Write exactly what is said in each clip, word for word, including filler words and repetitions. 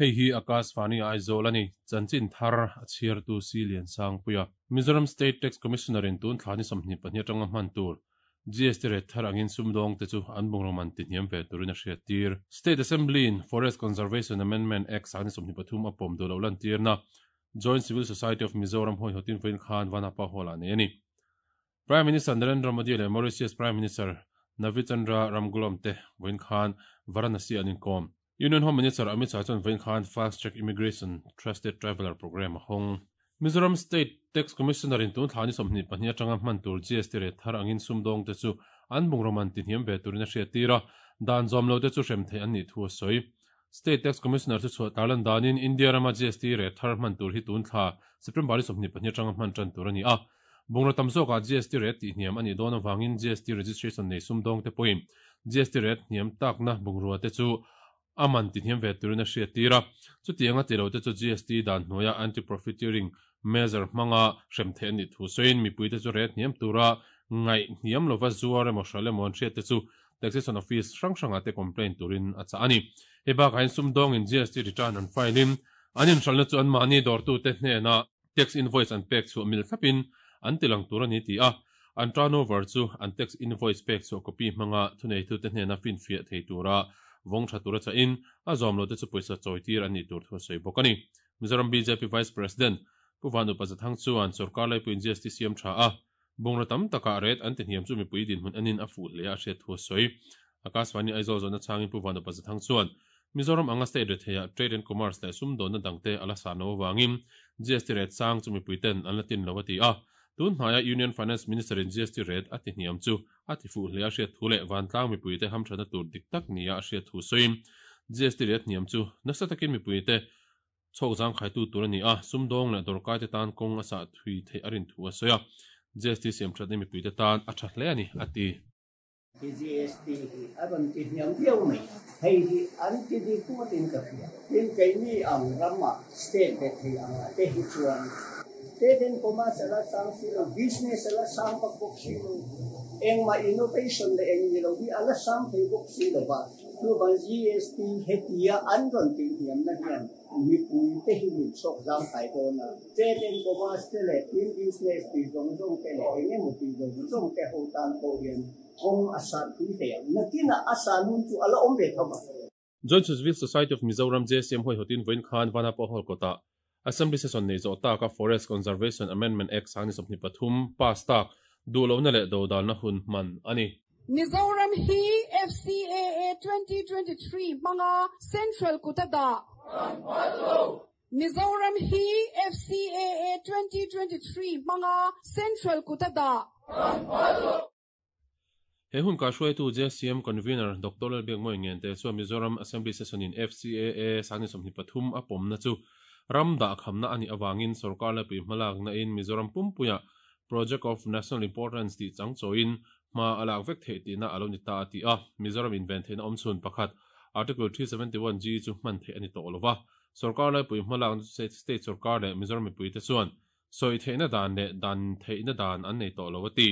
Hei hi Akashvani Aizawl ani chanchin thar a chhiartu si lian sang puia Mizoram State Tax Commissioner in tun thlani sawmhnih pahnih atanga hman tur G S T rate thar angin sumdawng te chu an bungraw man ti hniam ve turin a hriat tir. State Assembly in Forest Conservation Amendment Act sangni sawmhnih pathum a pawm duh lo lan tirna Joint Civil Society of Mizoram hoi hotin foin khan Vanapa Hall a nei ani. Prime Minister Narendra Modi leh Mauritius Prime Minister Navinchandra Ramgoolam te voin khan Varanasi an inkom. Union Home Minister Amit Shah chuan voin khan Fast Track Immigration Trusted Traveller Program a hawng. Mizoram State Tax Commissioner in tun thlani sawmhnih pahnih atanga hman tur G S T rate thar angin sumdawng te chu an bungraw man ti hniam ve turin a hriat tir a, dan zawm lo te chu hrem thei an nih thu a sawi. State Tax Commissioner chu chhuah tarlan danin India rama G S T rate thar hman tur hi tun thla September sawmhnih pahnih atanga hman tan tur ani a. Bungraw tam zawkah G S T rate tih hniam ani dawn awangin G S T registration nei sumdawng te pawhin G S T rate hniam takna bungrua te chu aman ti hniam ve turin a hriat tir a. Chutianga ti lo te chu G S T dan hnuaia anti profiteering measure hmanga hrem thei ani thu sawiin mipui te chu rate hniam tura ngai hniam lova zuar emaw hral emaw an hriat te chu taxation office hrang hranga te complaint turin a chah ani. Hei bakah hian sumdawng in G S T return an file in an inhralna chu an mahni dawrtu te hnena tax invoice an pek chhuah mil thlapin an tilang tur ani ti a, an turnover chu an tax invoice pek chhuah copy hmanga thunei tu te hnena fin fiah thei tura vawng tha tura cha in a zawm lo te chu pawisa chawi tir ani tur thu sawi bawk ani. Mizoram B J P Vice President Pu Vanu Pazathang chuan sarkar laipuin G S T siam tha a bungraw tam taka rate an ti hniam chu mipui din hmun anin a fu hle a hriat thu sawi. Akashvani Aizawl zawna changin Pu Vanu Pazathang chuan Mizoram anga state retheia trade and commerce leh sumdawn na dangte ala sa no wangin G S T rate sang chu mipui ten an la tin lo ati a. Tun hnaia Union Finance Minister in G S T rate a ti hniam chu a ti fu hle a hriat thu leh vantlang mipui te hamthana tur dik tak nia a hriat thu sawiin G S T rate hniam chu nasa takin mipui te chhawk zang khai tu tur ani a, sumdawng leh dawrkai te tan kawng a sah thui thei a rin thu a sawi a. G S T siam that ni mipui te tan a tha hle ani ati. G S T hi aron ti hniam viau mai. Hei hi an ti di kuatin ka hria. Tin kei ni ang rama state te thei ang te hi chuan trade and commerce ala sang si lo, business ala sang pak bok si lo, eng ma innovation le eng ni lo hi ala sang thei bok si lo ba. Tu ban G S T hetia an ron ti hniam na hian mi pui te hi min chok zang kai do na. Trade and commerce te le in business ti zong zong te le eng emo ti zong zong te ho tan ko hian kong asa tui te na kina asa nun chu ala om ve thama. Joint Civil Society of Mizoram J C M hoi hotin voin khan Vanapa Hall kota Assembly session nei zo ta ka Forest Conservation Amendment Act sangni sawmhnih pathum pass tak du lo na le do dal na hun man ani. Mizoram hi F C A A twenty twenty-three manga Central Kutada. Mizoram hi F C A A twenty twenty-three manga Central Kutada. He hun ka hruai tu J C M convener Doctor Lalbiak Moi ngen te chuan Mizoram Assembly session in F C A A sangni sawmhnih pathum a pawm na chu ram da khamna ani awangin sarkar la pui hmalak na in Mizoram pumpuia Project of National Importance ti chang choin ma alak vek thei ti na alo ni ta ati a. Mizoram invent thein awm chhun pakhat Article three seventy-one G chu hman thei ani to lova. Sarkar la pui hmalak state sarkar le Mizoram mipui te chuan soi theina dan le dan theina dan an nei to lo ati.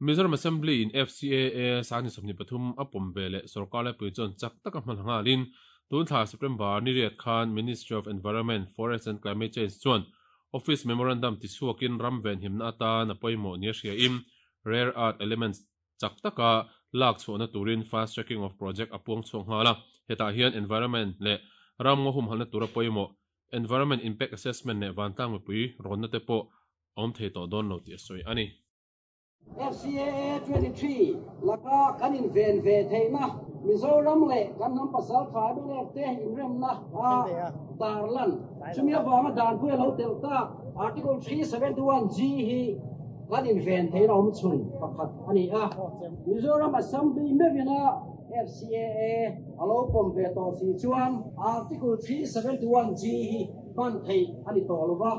Mizoram Assembly in F C A A sangni sawmhnih pathum a pawm ve leh sarkar la pui chuan chak taka hman hangalin tun thla September ni riat khan Ministry of Environment, Forest and Climate Change chuan office memorandum ti chhuakin ram ven himna atan a pawimawh nia hria in rare earth elements chak taka lak chhuahna turin fast tracking of project a puang chhuak nghala. Hetah hian environment leh ram ngaw humhalna tura pawimawh environment impact assessment leh vantlang mipui rawnna te pawh a awm thei tawh dawn lo tih a sawi ani. F C A A twenty-three laka kan in ven ve theina Mizoram le kan nam pasal tha te in rem na a tarlan chumi awanga dan pui lo tel ta Article three seventy-one G hi kan in ven theina om chun pakhat ani a. Mizoram Assembly mevina F C A A alo pom ve to si chuan Article three seventy-one G hi ban thei ani to lova.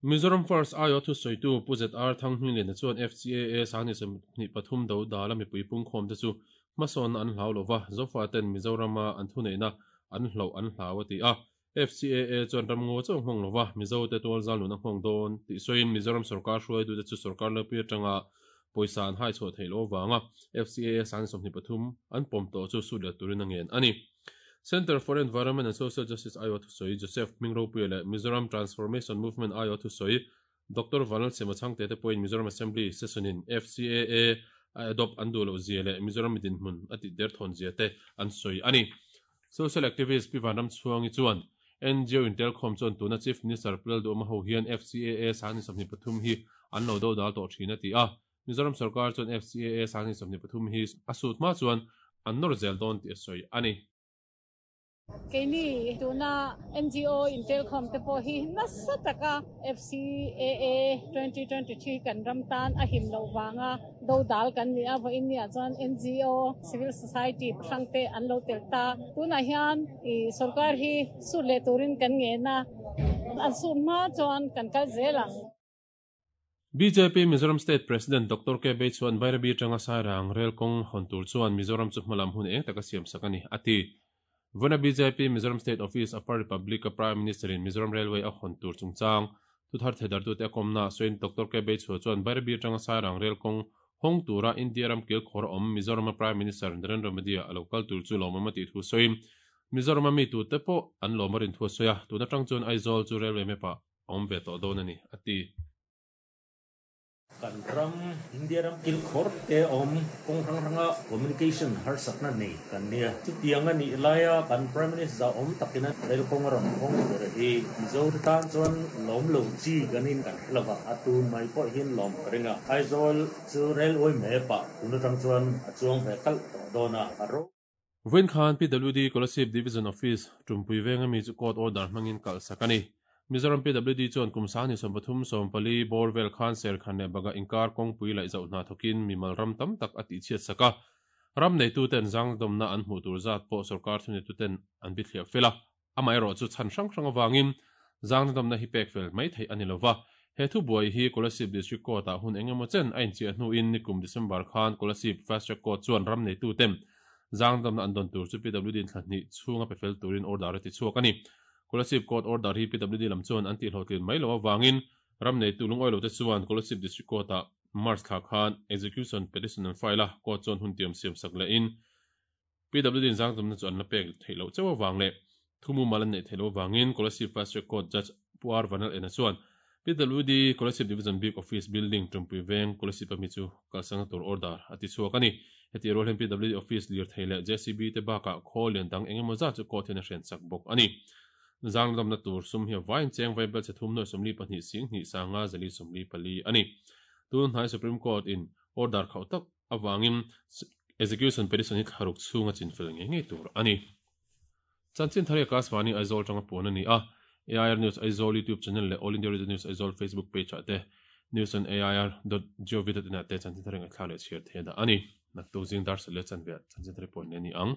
Mizoram First ayo thu soitu Pu Z R Thanghming le chuan F C A A sangni sawmhnih pathum do dala mipui pung khawm te chu hmasawn an hlau lova, zofa ten Mizorama an thu neina an hlo an hlau ati a. F C A A chuan ramngaw chauh hmang lova, Mizo te tual zal nun a hmang dawn tih sawiin Mizoram sarkar hruai tu te chu sarkar lepui atanga pawisa an hai chhuah theih lo wanga F C A A sangni sawmhnih pathum an pawm tawh chu sut leh turin a ngen ani. Center for Environment and Social Justice aiawh thusawi Joseph Hmingropui leh Mizoram Transformation Movement aiawh thusawi Doctor Vanlalsema Chhangte te pawhin Mizoram Assembly session in F C A A a adopt an duh loh zia leh Mizoram midin hmun a tih der thawn zia te an sawi a ni. Social activist Pi Vanramchhuangi chuan N G O intelkhawm chuan tuna Chief Minister Pu Lalduhoma ho hian F C A A sanghnih sawmhnih pathum hi an lo do dal tawh thin a ti a. Mizoram sarkar chuan F C A A sanghnih sawmhnih pathum hi a sut hma chuan an nawr zel dawn tih a sawi a ni. Keini tuna N G O intelkhawm te pawh hi nasa taka F C A A twenty twenty-three kan ram tan a him lo wanga do dal kan ni a. Vo India chuan N G O, civil society hrangte an lo tel ta. Tuna hian i sarkar hi su le turin kan nge na, an su ma chuan kan kal zelang. B J P Mizoram State President Doctor K Bay chuan Bairabi tanga Sairang rail kawng hawn tur chuan Mizoram chu hmalam hun eng taka siam sak ani ati. Vana B J P Mizoram State Office Upper Republic Prime Minister in Mizoram Railway a hawn tur chungchang thu thar thedar tu te komna soin Doctor K Bay chu chuan Bairabi tanga Sairang rail kawng hong tura India ram kil khor om Mizoram Prime Minister Narendra Modi a local tur chu lomama ti thu soin Mizoram mi tu te po an lomarin thu soya. Tuna tang chuan Aizawl chu railway mepa om ve to don ani ati. Kan ram India ram kil khor te om kong rang ranga communication har sakna nei kan nia. Chu tianga ni laia kan Prime Minister om takina rel kong ram kong ber hi Mizo tan chuan lom lo chi ganin kan hlawa atu mai po hin lom ringa. Aizawl chu railway me pa tunu tang chuan a chuang ve kal to dona aro. Vin Khan P W D Kolasib Division Office Tumpui venga mi chu court order hmangin kal sakani. Mizoram P W D chuan kumsani som pathum som pali borvel khan ser khan ne baga inkar kong pui lai zau na thokin mimal ram tam tak ati chiat saka. Ram nei tu ten zang domna an hmu tur zat po sarkar thuni tu ten an bi thlia fela. Amai ro chu chan hrang hrang awangin zang domna hi pek fel mai thei ani lova. He thu buai hi Kolasib District Court a hun engemaw chen ain chi hnu in nikum December khan Kolasib Fast Track Court chuan ram nei tu tem zang domna an don tur chu P W D thlan chunga pe fel turin order ti chuak ani. Kolasib Court order hi P W D lam chuan an ti hlotlin mai lo awangin ram nei tu lung oilo te chuan Kolasib District Court a March thla khan execution petition an file a. Court chuan hun tiam siam sak le in P W D zang dam na chu an la pek theilo chewa wang le thumu malan nei theilo wangin Kolasib Fast Track Court Judge Puar Vanal ena chuan P W D Kolasib Division Big Office Building, Tumpui Veng, Kolasib ami chu kalsang tur order ati chuak ani. Heti rol hem P W D office lir theile J C B te baka khol lian dang engemaw za chu court hian a hren sak bawk ani. Zang dam na tur sum hi vain cheng vai bel chethum no somli pahnih sing ni sanga zali somli pali ani. Tun hnai Supreme Court in order khau tak awangin execution petition hi tharuk chunga chin fel nge nge tur ani. Chanchin thari Akashvani Aizawl tanga pon ani a. A I R News Aizawl YouTube channel le All India Radio News Aizawl Facebook page ate news on A I R dot gov dot in ate chanchin thari nga thlale share the da ani. Naktu jing dar sale chan ve chanchin thari pon ni ang.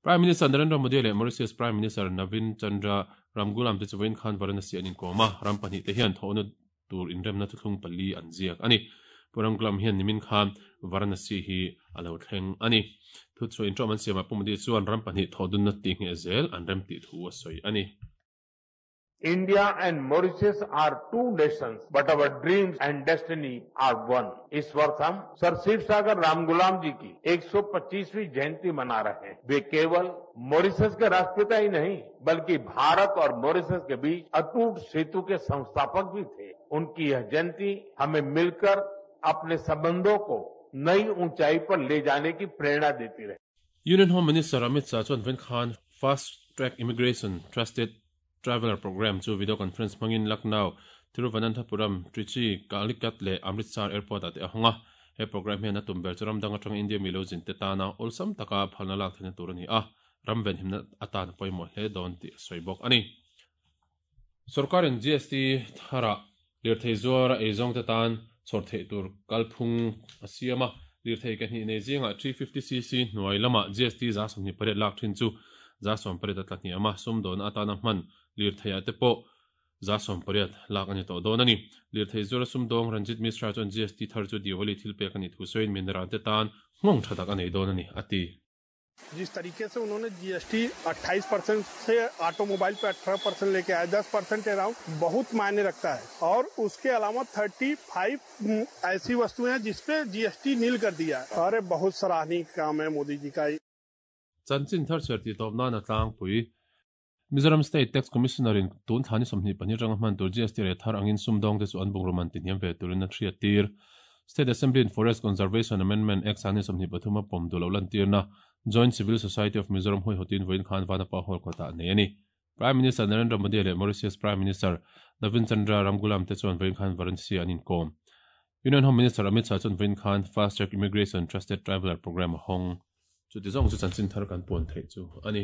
Prime Minister Narendra Modi le Mauritius Prime Minister Navin Chandra Ramgoolam te chuin khan Varanasi anin koma. Ram pahnih te hian thona tur inremna thuthlung pali an ziak ani. Puramglam hian nimin khan Varanasi hi alo thleng ani. Thu chu in trom an siama Pumadi chuan ram pahnih thodun na ti nge zel an rem ti thu a soi ani. India and Mauritius are two nations, but our dreams and destiny are one. इस वर्ष हम सर शिव सागर रामगुलाम जी की एक सौ पच्चीसवीं जयंती मना रहे हैं। वे केवल मॉरिशस के राष्ट्रपिता ही नहीं, बल्कि भारत और मॉरिशस के बीच अटूट सेतु के संस्थापक भी थे। उनकी यह जयंती हमें मिलकर अपने संबंधों को नई ऊंचाई पर ले जाने की प्रेरणा देती रहे। Union Home Minister Amit Shah chuan ven khan Fast Track Immigration Trusted Traveller Program chu video conference mangin Lucknow, Thiruvananthapuram, Trichy, Calicut le Amritsar Airport ate ahonga. He program hian a tum ber churam danga tang India milo jin te tana olsam taka phalna lak thena tur ani a. Ramven himna atan poimo hle don ti soibok ani. Sarkarin G S T thara lirthei zuara eizong te tan chhor thei tur kalphung a siama. Lirthei ka hni nei zinga three fifty c c hnuai lama G S T za sawmhnih pariat lak thin chu za sawm pariat a tla hni ama. Sumdawn atana hman lirthei ah te pawh za sawm pariat lak ani tawh dawn ani. Lirthei zuara sumdawng Ranjit Mishra chuan G S T thar chu Diwali thil pek ani thu sawiin mineral te tan nghawng tha tak a nei dawn ani ati. जिस तरीके से उन्होंने G S T अट्ठाईस percent से automobile पे अठारह percent लेके आए, दस परसेंट अराउंड बहुत मायने रखता है और उसके अलावा पैंतीस ऐसी वस्तुएं हैं जिसपे जीएसटी नील कर दिया है। अरे, बहुत सराहनीय काम है मोदी जी का। Chanchin thar chhiar tih tawp nan a tlangpui. Mizoram State Tax Commissioner in tun thla ni sawmhnih pahnih atanga hman tur GST rate thar angin sumdawng te chu an bungraw man tihniam ve turin a hriat tir. State Assembly in Forest Conservation Amendment Act sangni sawmhnih pathum a pawm duh loh lantirna Joint Civil Society of Mizoram huaihawtin vawiin khan Vanapa Hall kawtah a nei a ni. Prime Minister Narendra Modi leh Mauritius Prime Minister Navin Chandra Ramgoolam te chuan vawiin khan Varanasi an inkawm. Union Home Minister Amit Shah chuan vawiin khan Fast Track Immigration Trusted Traveller Programme a hawng. Chuti zawng chu chanchin thar kan puan theih chu a ni.